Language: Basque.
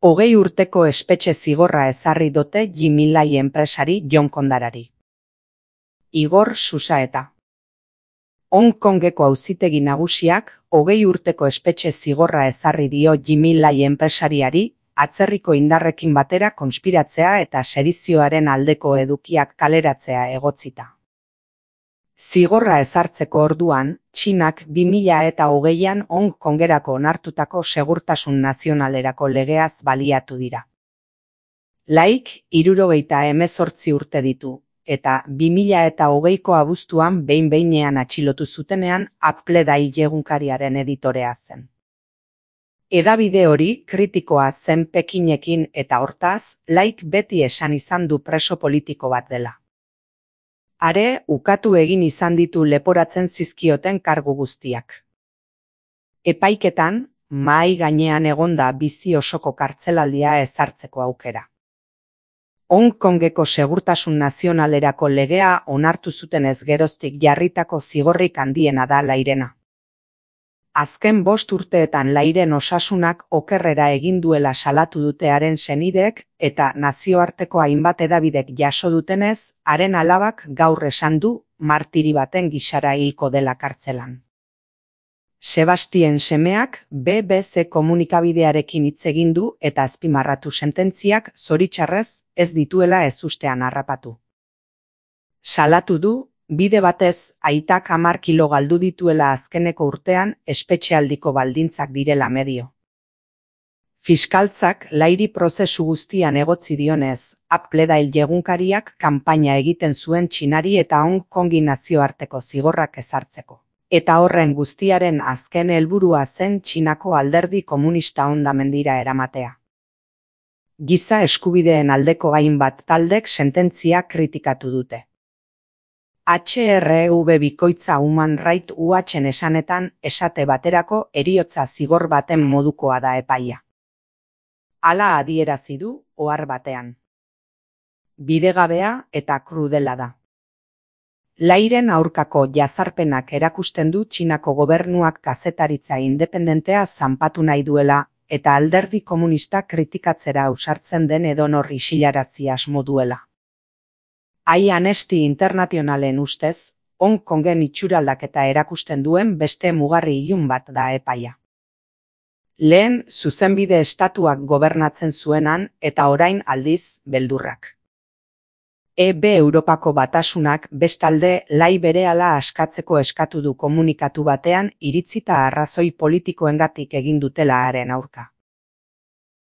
20 urteko espetxe zigorra ezarri dote Jimmy Lai enpresari Jon Kondarari. Igor Susaeta. Hong Kongeko auzitegi nagusiak 20 urteko espetxe zigorra ezarri dio Jimmy Lai enpresariari, atzerriko indarrekin batera konspiratzea eta sedizioaren aldeko edukiak kaleratzea egotzita. Zigorra ezartzeko orduan, Txinak 2020an Hong Kongerako onartutako segurtasun nazionalerako legeaz baliatu dira. Laik 78 urte ditu, eta 2020ko abuztuan behin-behinean atxilotu zutenean Apple Daily egunkariaren editorea zen. Hedabide hori kritikoa zen Pekinekin eta hortaz, Laik beti esan izan du preso politiko bat dela. Are, ukatu egin izan ditu leporatzen zizkioten kargu guztiak. Epaiketan, mahai gainean egonda bizi osoko kartzelaldia ezartzeko aukera. Hong Kongeko segurtasun nazionalerako legea onartu zutenez geroztik jarritako zigorrik handiena da Lairena. Azken 5 urteetan Lairen osasunak okerrera egin duela salatu dute haren senideek eta nazioarteko hainbat hedabidek jaso dutenez, haren alabak gaur esan du martiri baten gisara hilko dela kartzelan. Sebastien semeak BBC komunikabidearekin hitz egin du eta azpimarratu sententziak zoritxarrez ez dituela ezustean harrapatu. Salatu du, bide batez, aitak 10 kilo galdu dituela azkeneko urtean espetxealdiko baldintzak direla medio. Fiskaltzak Lairi prozesu guztian egotzi dionez, Apple Daily egunkariak kanpaina egiten zuen Txinari eta Hong Kongi nazioarteko zigorrak ezartzeko. Eta horren guztiaren azken helburua zen Txinako alderdi komunista hondamendira eramatea. Giza eskubideen aldeko hainbat taldek sententzia kritikatu dute. HRV bikoitza Human Rights Watchen esanetan esate baterako heriotza zigor baten modukoa da epaia. Hala adierazi du ohar batean. Bidegabea eta krudela da. Lairen aurkako jazarpenak erakusten du Txinako gobernuak kazetaritza independentea zanpatu nahi duela eta alderdi komunista kritikatzera ausartzen den edonor isilarazi asmo duela. Amnesty Internationalen ustez, Hong Kongen itxuraldaketa erakusten duen beste mugarri ilun bat da epaia. Lehen, zuzenbide estatuak gobernatzen zuenan eta orain aldiz beldurrak. Europako batasunak bestalde Lai berehala askatzeko eskatu du komunikatu batean iritzita arrazoi politikoengatik egin dutela haren aurka.